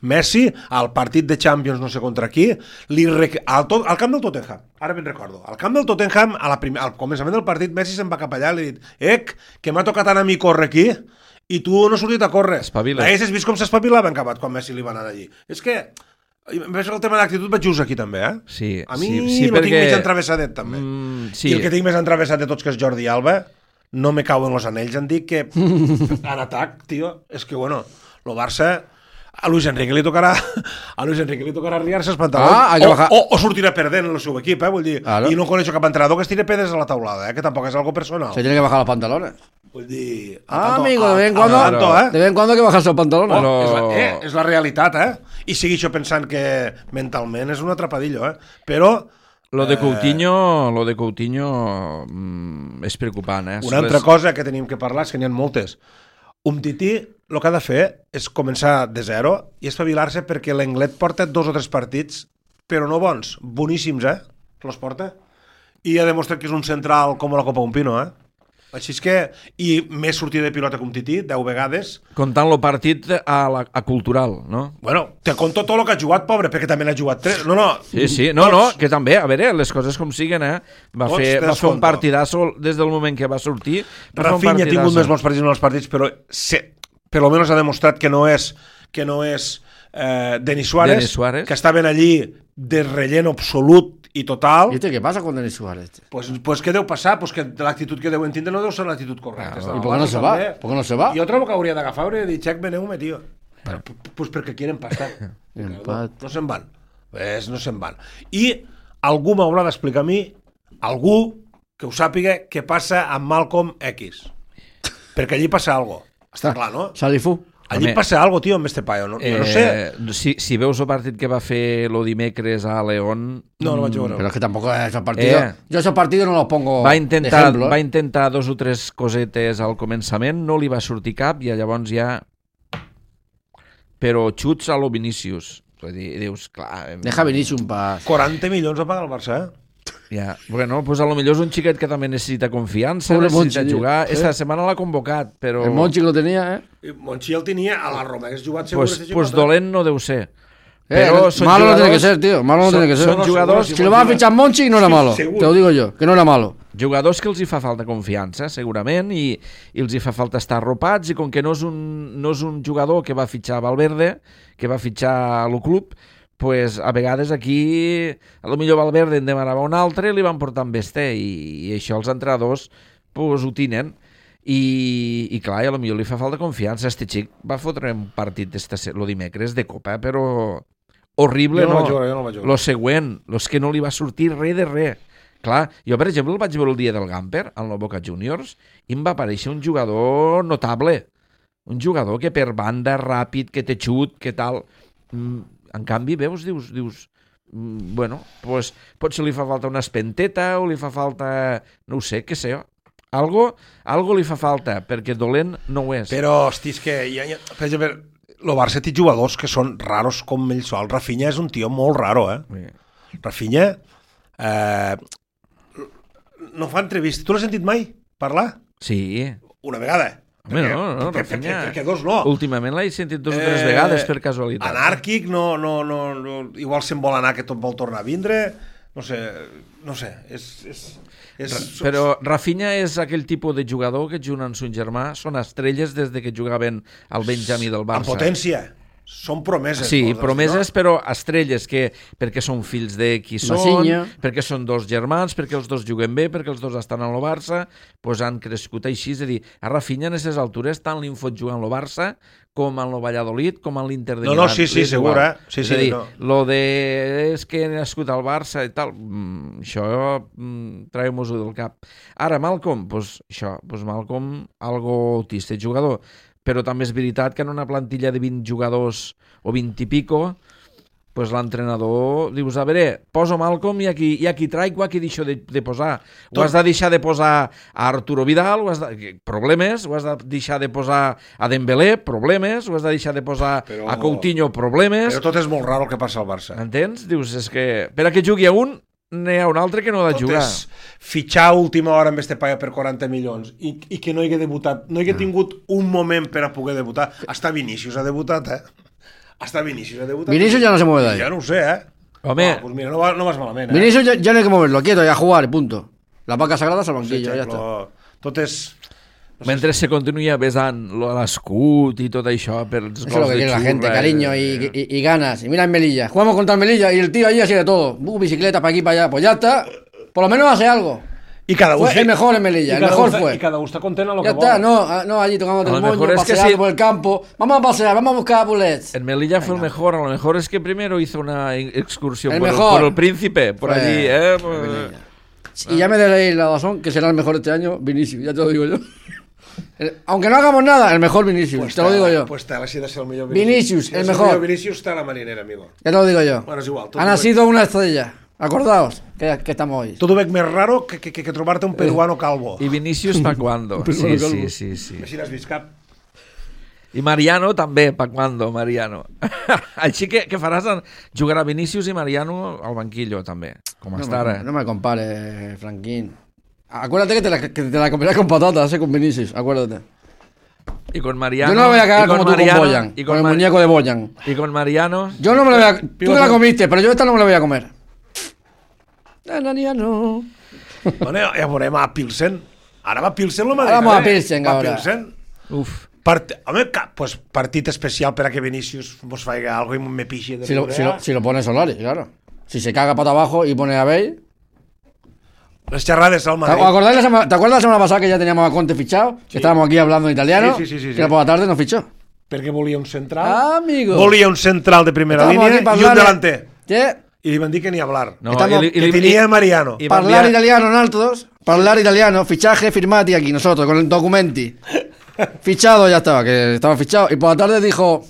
Messi, al partit de Champions no sé contra qui, al camp del Tottenham, ara ben recordo, al camp del Tottenham, al començament del partit, Messi se'n va cap allà i li ha dit que m'ha tocat anar a mi córrer aquí i tu no has sortit a córrer. Espavila. Haguessis vist com s'espavilava en acabat quan Messi li va anar allí. És que el tema d'actitud vaig just aquí també, Sí, a mi sí, lo tinc més entravessadet també. Sí. I el que tinc més entravessat de tots, que és Jordi Alba, no me cauen los anells. Han dit que en atac, tio, és que bueno, lo Barça a Luis Enrique li tocarà arriar-se els pantalons o sortirà perdent el seu equip, vull dir, claro. I no coneixo cap entrenador que es tire pedres a la taulada, que tampoc és algo personal. Se tiene que bajar los pantalones. Vull dir, amigo, de vez en cuando hay que bajarse los pantalones. És la realitat, i sigui això pensant que mentalment és un atrapadillo, però Lo de Coutinho és preocupant, Una altra cosa que tenim que parlar és que n'hi ha moltes. Umtiti el que ha de fer és començar de zero i espavilar-se, perquè l'Englet porta 2 o 3 partits, però no bons, boníssims, los porta. I ha demostrat que és un central com la Copa un Pino, Així és que, i més sortida de pilota que Umtiti, 10 vegades. Comptant el partit a Cultural, no? Bueno, te conto tot el que ha jugat, pobre, perquè també n'ha jugat 3. No, Sí, no, que també, a veure, les coses com siguen, Va fer un partidasso des del moment que va sortir. Rafinha ha tingut més bons partits en els partits, però per lo menos ha demostrat que no és Denis Suárez, que estaven allí de relleno absolut i total. ¿Y què passa con Denis Suárez? Pues què deu passar? Pues que l'actitud que deuen tindre no deu ser l'actitud correcta. ¿Y por qué no se va? ¿Por qué no se va? Jo trobo que hauria d'agafar i dir, Check, veneu-me, tío. Pues perquè quieren pastar. No se'n van. No se'n van. I algú m'haurà d'explicar a mi, algú que ho sàpiga, què passa amb Malcolm X. Perquè allí passa alguna cosa. Està clar, no? Salifú. Allí passa alguna cosa, tio, amb este paio. No sé. Si veus el partit que va fer lo dimecres a León... No vaig veure. Pero es que tampoco esos partidos... Yo esos partidos no los pongo va de ejemplo. Va intentar 2 o 3 cosetes al començament, no li va sortir cap i llavors ja... Però xuts a lo Vinícius. Vull dir, dius, clar... Deja Vinícius un pas. 40 milions va pagar el Barça, Ja, bueno, pues a lo millor és un xiquet que també necessita confiança, necessita jugar. Esta setmana l'ha convocat, però... El Monchi lo tenia, Monchi el tenia a la Roma, hagués jugat segur. Pues dolent no deu ser. Pero malo no tiene que ser, tío. Malo no tiene que ser. Son jugadors... Si lo van a fichar Monchi, no era malo. Te lo digo yo, que no era malo. Jugadors que els hi fa falta confiança, segurament, i els hi fa falta estar arropats, i com que no és un jugador que va fitxar Valverde, que va fitxar el club, pues a vegades aquí a lo millor Valverde en demanava un altre i li van portar amb este, i això els entrenadors pues, ho tenen. I clar, a lo millor li fa falta confiança. Este xic va fotre un partit lo dimecres de Copa, però horrible, no. Jo no vaig veure. Lo següent, és que no li va sortir res de res. Clar, jo per exemple el vaig veure el dia del Gamper al Boca Juniors i em va aparèixer un jugador notable, un jugador que per banda ràpid, que té xut, que tal... En canvi, veus, dius bueno, pues, potser li fa falta una espenteta o li fa falta, no ho sé, què sé, algo li fa falta, perquè dolent no ho és. Però, hosti, és que per exemple, el Barça té jugadors que són raros com ell sol. Rafinha és un tio molt raro, Sí. Rafinha no fa entrevista. Tu l'has sentit mai parlar? Sí. Una vegada. Home, no, Rafinha... Perquè 2 no. Últimament l'he sentit 2 o 3 vegades per casualitat. Anàrquic, no, igual se'n vol anar, que tot vol tornar a vindre, no sé, Però Rafinha és aquell tipus de jugador que juga amb son germà, són estrelles des de que jugaven al Benjamí del Barça. Amb potència. Són promeses. Sí, promeses, no? Però estrelles, perquè són fills de qui són, perquè són 2 germans, perquè els 2 juguen bé, perquè els 2 estan al Barça, doncs han crescut així. És a dir, a Rafinha en aquestes altures tant li fot jugar en el Barça com en el Valladolid, com en l'Inter de Milán. No, sí, segur, Sí, és a dir, lo de és que he nascut al Barça i tal, això traiem-ho del cap. Ara, Malcolm, Malcolm, algo autista, jugador. Però també és veritat que en una plantilla de 20 jugadors o 20 i pico, pues l'entrenador dius, a veure, poso Malcom i aquí traigo, aquí deixo de posar. Ho has de deixar de posar a Arturo Vidal, problemes, ho has de deixar de posar a Dembélé, problemes, ho has de deixar de posar a Coutinho, problemes. Però tot és molt raro el que passa al Barça. Entens? Dius, és que per a que jugui a un, n'hi ha un altre que no ha de jugar. Tot és fitxar a última hora amb este paia per 40 milions i que no hi hagué debutat, no hi hagué tingut un moment per a poder debutar. Hasta Vinícius ha debutat, Hasta Vinícius ha debutat. Vinicius ya no se mueve de ahí. Ja no ho sé, Home, pues mira, no vas malament, Vinicius ya no hay que moverlo, quieto, y a jugar, y punto. La vaca sagrada es al banquillo, ya está. Tot és... mentre se continua besant l'escut i tot això per els Eso es lo gols que de quiere la xurra, gente, cariño y ganas. Y mira en Melilla, jugamos contra el Melilla y el tío allí así de todo. Bicicleta para aquí, para allá. Pues ya está. Por lo menos hace algo. I cada Fue el mejor en Melilla, el mejor fue. I cada un està content a lo Ya que está, vol. no, allí tocando A lo el moño, mejor es que paseando sí. por el campo. Vamos a pasear, vamos a buscar bullets. En Melilla fue el mejor, a lo mejor es que primero hizo una excursión El por mejor. por el Príncipe, por Pues, allí, Y ya me daréis la razón que será el mejor este año, Vinicius, ya te lo digo yo. Aunque no hagamos nada, el mejor Vinicius, te lo digo yo. Pues tal, així de ser el millor Vinicius, Si el és mejor. millor Vinicius està a la marinera, amigo. Ya te lo digo yo. Bueno, és igual. Ha nacido una estrella. Acordaos que estamos hoy. Tot ho veig més raro que trobar-te un peruano calvo. Y Vinicius pa cuando. Sí, sí, sí. Així n'has vist cap. I Mariano també, pa cuando, Mariano. Així que faràs, jugarà Vinicius i Mariano al banquillo també, com està ara. No me compares, Franquín. Acuérdate que te la comerás con patatas, con Vinicius, acuérdate. Y con Mariano. Yo no me voy a cagar como tú con Boyan, y con el muñeco de Boyan. Y con Mariano. Yo no me la voy a... Tú te la comiste, pero yo esta no me la voy a comer. No. Bueno, ja veurem a Pilsen. Ara va Pilsen la Ara vamos a Pilsen, va ahora. Pilsen. Uf. Home, pues partit especial per a que Vinicius mos faci algo i me pixi de Si lo pone Solari, claro. Si se caga pata abajo y pone a Bale... Les xerrades al ¿Te Madrid. acuerdas la semana pasada que ya teníamos a Conte fichado? Que estábamos aquí hablando en italiano. Sí. Que por la tarde nos fichó. Perquè volia un central. Ah, amigo. Volia un central de primera Estamos línia aquí para i un hablar, delanter. ¿Qué? I li van dir que ni hablar. No, Estamos- Que tenia Mariano. i van Parlar enviar- italiano en altos. Parlar italiano. Fichaje firmati aquí nosotros con el documenti. Fichado ya estaba, que estaba fichado. Y por la tarde dijo...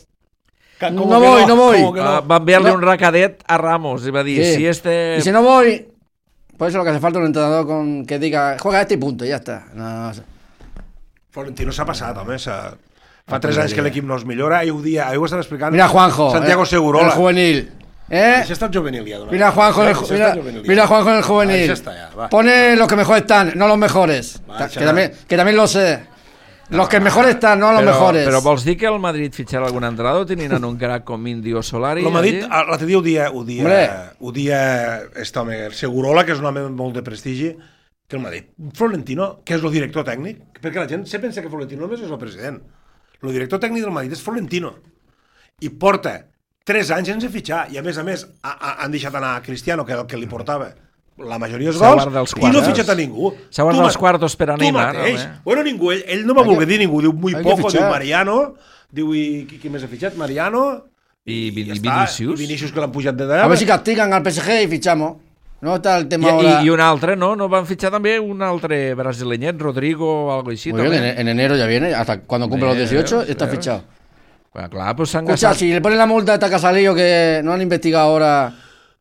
Com No que voy, no voy. com que no. Va enviar-li No. un racadet a Ramos i va dir, Sí. si este... Y si no voy... Por eso lo que hace falta es un entrenador con que diga, juega este y punto, y ya está. No. Florentino s'ha passat, home. Fa 3 anys que l'equip no es millora. Ahir ho estava explicant. Mira Juanjo, Santiago el Segurola. juvenil. Això està juvenil ja. Mira Juanjo, mira Juanjo en el juvenil. Això està ja, va. Pone los que mejor están, no los mejores. Va, Que también lo sé. Los que mejor están, no los mejores. Però vols dir que el Madrid fitxarà algun entrenador tenint en un crac com Indio Solari? El Madrid, allí? l'altre dia ho dia este home, el Segurola, que és un home amb molt de prestigi, que el Madrid, Florentino, que és el director tècnic, perquè la gent se pensa que Florentino només és el president. El director tècnic del Madrid és Florentino. I porta 3 anys sense fitxar, i a més han deixat anar a Cristiano, que era el que li portava la majoria dels S'ha gols, guardat els i no ha quartos. fitxat a ningú. S'ha guardat els quartos per a Tu Neymar, mateix. home. Bueno, ningú, ell no va voler dir ningú, diu muy hay que poco, diu fitxar. Mariano, diu, i qui més ha fitxat? Mariano, I ja està. Vinicius. I Vinicius que l'han pujat de A dalt. ver si castigan al PSG y fichamos. No está el tema ahora. I un altre, no? No van fitxar també un altre brasileñet, Rodrigo o algo així? Muy bien, també? en enero ya viene, hasta cuando cumple los 18 está fichado. Bueno, clar, pues s'han Escucha, gastat... si le ponen la multa a esta Casalillo que no han investigado ahora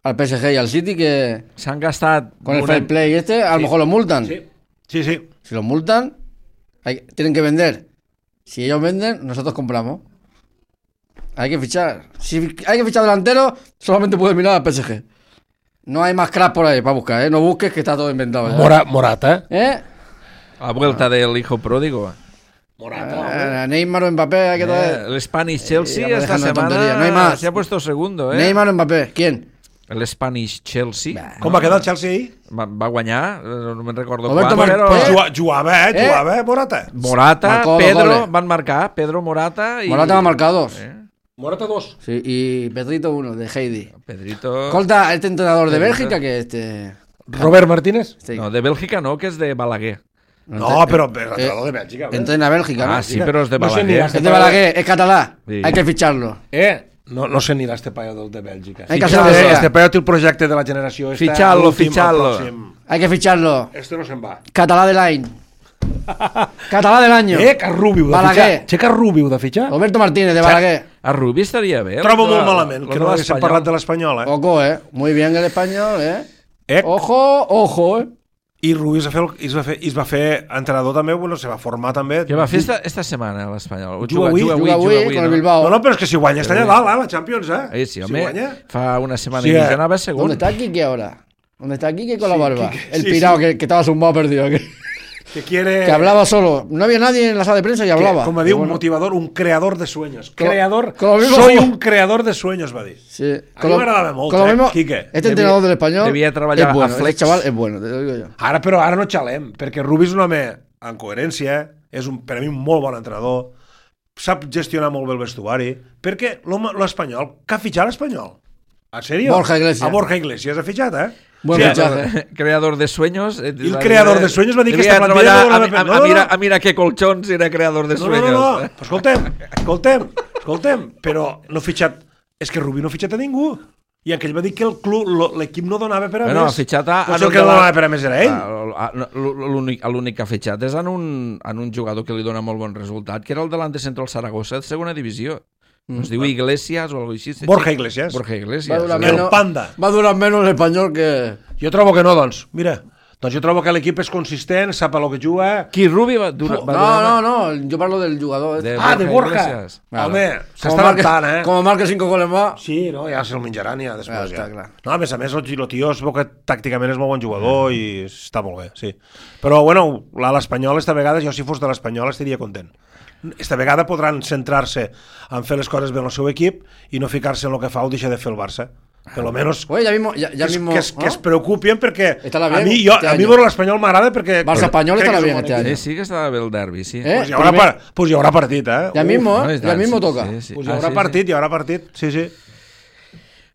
al PSG y al City, que S'han gastat... con el una- fair play este, a lo mejor los multan. Sí. Sí. Si los multan, tienen que vender. Si ellos venden, nosotros compramos. Hay que fichar. Si hay que fichar delantero, solamente puedes mirar al PSG. No hay más crack por ahí para buscar, ¿eh? No busques que está todo inventado. ¿eh? Morata. ¿Eh? A vuelta del hijo pródigo. Neymar o Mbappé, hay que traer. El Spanish Chelsea ya me esta dejan de tontería, semana no hay más. se ha puesto segundo, ¿eh? Neymar o Mbappé, ¿quién? El Spanish Chelsea. Com va quedar el Chelsea ahir? Va guanyar, no me'n recordo Roberto quan, però... Martínez. Jugava, Morata. Morata, Marcó dos Pedro, goles. van marcar, Pedro Morata y... Morata va marcados. Morata 2. Sí, y Pedrito 1, de Heidi. Pedrito... Escolta, este entrenador de Pedrito. Bélgica que este... Robert Martínez? este No, de Bèlgica no, que és de Balaguer. No, però l'entrenador de Bèlgica. entrena a Bélgica, ¿no? Ah, sí, però és de No sé ni Balaguer. Es de Balaguer, es catalán. Sí. Hay que ficharlo. No sé ni este paio del de Bèlgica. Hay que hacer lo que Este sea. paio té el projecte de la generació. esta, Fitxar-lo, l'últim, el fitxar-lo. pròxim. Hay que ficharlo. Este no se'n va. Catalá del año. Catalá del año. Que Rubio de Balaguer. fitxar. Que Rubio de fitxar. Roberto Martínez, de Balaguer. A Rubi estaria bé. Trobo molt malament que no haguéssim parlat de l'Espanyol, Ojo, muy bien el español, Eh? Ojo, I Rubi es va fer entrenador també, bueno, se va formar també. Què va fer esta setmana l'Espanyol? Juga avui con el Bilbao. No, però és que si guanya està allà dalt, la Champions, Sí, home, si guanya... fa una setmana i mitja anava segon. ¿Dónde está Quique ahora? ¿Dónde está Quique con la barba? Quique, el pirado que estaba zumbado perdido. Que quiere... Que hablaba solo. No había nadie en la sala de prensa y hablaba. Com va dir, un motivador, un creador de sueños. Mismo Soy un creador de sueños, va dir. Sí. A mi m'agradava molt, Quique. Este entrenador del español devia treballar es bueno. a Flex. Este chaval es bueno, te lo digo yo. Ara no xalem, perquè Rubi és un home en coherència, és per a mi un molt bon entrenador, sap gestionar molt bé el vestuari, perquè l'Espanyol, què ha fitxat l'Espanyol? En sèrio? Borja Iglesias. A Borja Iglesias ha fitxat, Buen fichaje. Creador de sueños. El creador de sueños va dir que esta plantilla mira qué colchons era creador de sueños. No. Escoltem, però no ha fitxat... És que Rubi no ha fitxat a ningú. I aquell va dir que l'equip no donava per a més. Ha fitxat a... Potser el que no donava per a més era ell. L'únic que ha fitxat és en un jugador que li dona molt bon resultat, que era el delante central Saragossa de segona divisió. Es diu Iglesias o algo així. Borja Iglesias. El Panda. Va a durar menos el español que... Jo trobo que no, doncs. Mira, doncs jo trobo que l'equip és consistent, sap a lo que juga... Qui Rubi va durar... No, jo parlo del jugador. De Borja. Home, s'està adaptant, Como marque 5 goles más... Sí, no, ja se'l menjaran ja després. Està clar. No, a més, el tio es veu que tàcticament és molt bon jugador i està molt bé, sí. Però, bueno, l'Espanyol esta vegada, jo si fos de l'Espanyol estaria content. Esta vegada podran centrar-se en fer les coses bé en el seu equip i no ficar-se en el que fa o deixar de fer el Barça. Per lo menos Oye, ya mismo, que es preocupin perquè a mi veure l'Espanyol m'agrada perquè... Barça-Espanyol estarà bien este año. Sí que estarà bé el derbi, sí. Pues hi haurà partit, Ya mismo toca. Pues hi haurà partit, sí.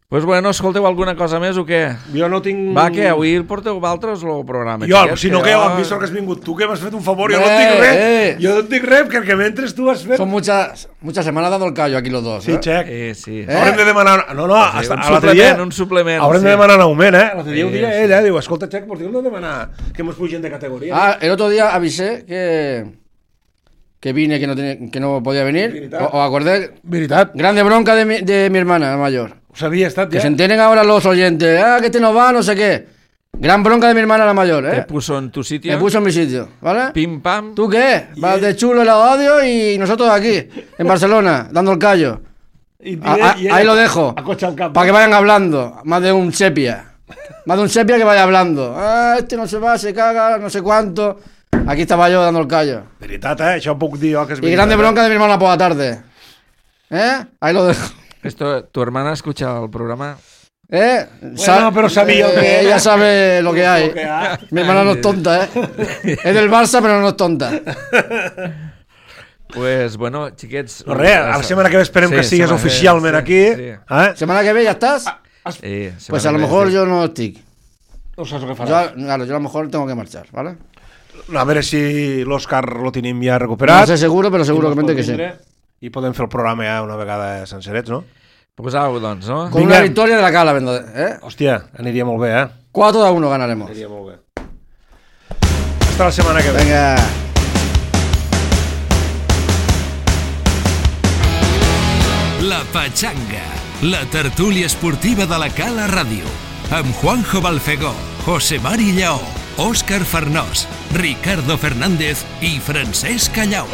Pues bueno, escolteu alguna cosa més o què? Jo no tinc... Va, que avui el porteu vosaltres el programa? Jo, si no que hem vist que has vingut tu, que m'has fet un favor, jo no et dic res. Jo no et dic res, perquè mentre tu has fet... Son muchas semanas dando el callo aquí los dos. Sí, Xec. Sí. Haurem de demanar... No, un suplement. Haurem de demanar un augment, L'altre dia ho dia ell, diu, escolta, Xec, pues diu, no demanar que mos pugen de categoria. El otro día avisé que vine, que no podía venir. ¿Os acordáis? Veritat. Grande bronca de mi hermana, la mayor. Sabia estat, Que se enteren ahora los oyentes. Que este no va, no sé qué. Gran bronca de mi hermana, la mayor, Te puso en tu sitio. Me puso en mi sitio, ¿vale? Pim, pam. ¿Tú qué? Vas de chulo el audio y nosotros aquí, en Barcelona, dando el callo. Ahí lo dejo. Para que vayan hablando. Más de un sepia. Que vaya hablando. Este no se va, se caga, no sé cuánto. Aquí estaba yo dando el callo. Veritat, això ho puc dir jo, que és Y grande bronca de mi hermana por la tarde. Ahí lo dejo. ¿Tu hermana escucha el programa? Bueno, pero sabía que... Ella sabe lo que hay. Mi hermana no es tonta, Es del Barça, pero no es tonta. Pues, bueno, xiquets... No, res, a la setmana que ve esperem que sigues oficialment aquí. Semana que ve ya estás. Pues a lo mejor yo no estoy. No saps què faràs. Yo a lo mejor tengo que marchar, ¿vale? A veure si l'Òscar lo tenim ja recuperat. No sé seguro, pero seguramente que sí. I podem fer el programa ja una vegada sencerets, no? Pues au, doncs, no? Con una victoria de la Cala, Hòstia, aniria molt bé, 4-1 ganaremos. Aniria molt bé. Hasta la setmana que ve. Venga. La Pachanga, la tertúlia esportiva de la Cala Ràdio, amb Juanjo Balfegó, José Mari Lleó, Òscar Farnós, Ricardo Fernández i Francesc Callau.